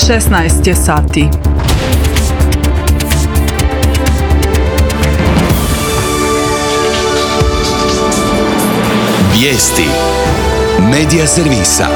16 je sati. Vijesti Medija servisa.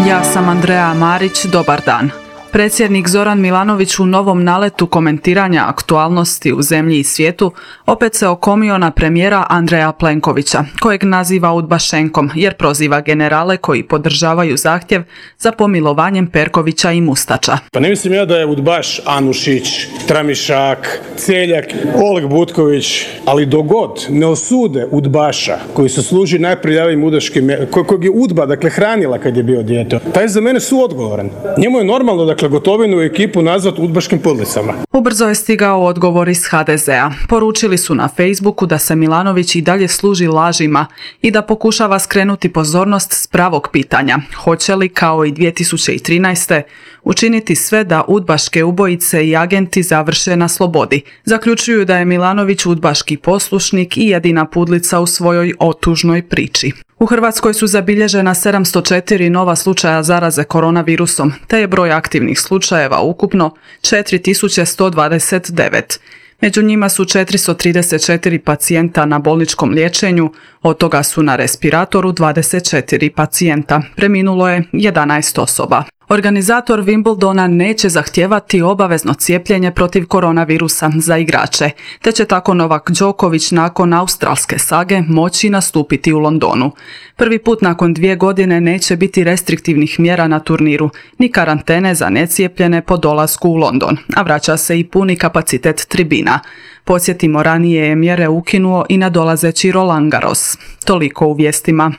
Ja sam Andreja Marić, dobar dan. Predsjednik Zoran Milanović u novom naletu komentiranja aktualnosti u zemlji i svijetu opet se okomio na premijera Andreja Plenkovića, kojeg naziva udbašenkom jer proziva generale koji podržavaju zahtjev za pomilovanjem Perkovića i Mustača. Pa ne mislim ja da je udbaš Anušić, Tramišak, Celjak, Oleg Butković, ali dogod ne osude udbaša koji se služi najprljavijim udaškim, kojeg je udba, dakle, hranila kad je bio dijete, taj je za mene suodgovoran. Njemu je normalno, dakle, Gotovinu i ekipu nazvat udbaškim podlicama. Ubrzo je stigao odgovor iz HDZ-a. Poručili su na Facebooku da se Milanović i dalje služi lažima i da pokušava skrenuti pozornost s pravog pitanja. Hoće li, kao i 2013. učiniti sve da udbaške ubojice i agenti završe na slobodi? Zaključuju da je Milanović udbaški poslušnik i jedina pudlica u svojoj otužnoj priči. U Hrvatskoj su zabilježena 704 nova slučaja zaraze koronavirusom, te je broj aktivnih slučajeva ukupno 4129. Među njima su 434 pacijenta na bolničkom liječenju, od toga su na respiratoru 24 pacijenta. Preminulo je 11 osoba. Organizator Wimbledona neće zahtijevati obavezno cijepljenje protiv koronavirusa za igrače, te će tako Novak Đoković nakon australske sage moći nastupiti u Londonu. Prvi put nakon 2 godine neće biti restriktivnih mjera na turniru, ni karantene za necijepljene po dolasku u London, a vraća se i puni kapacitet tribina. Podsjetimo, ranije je mjere ukinuo i nadolazeći Roland Garros. Toliko u vijestima.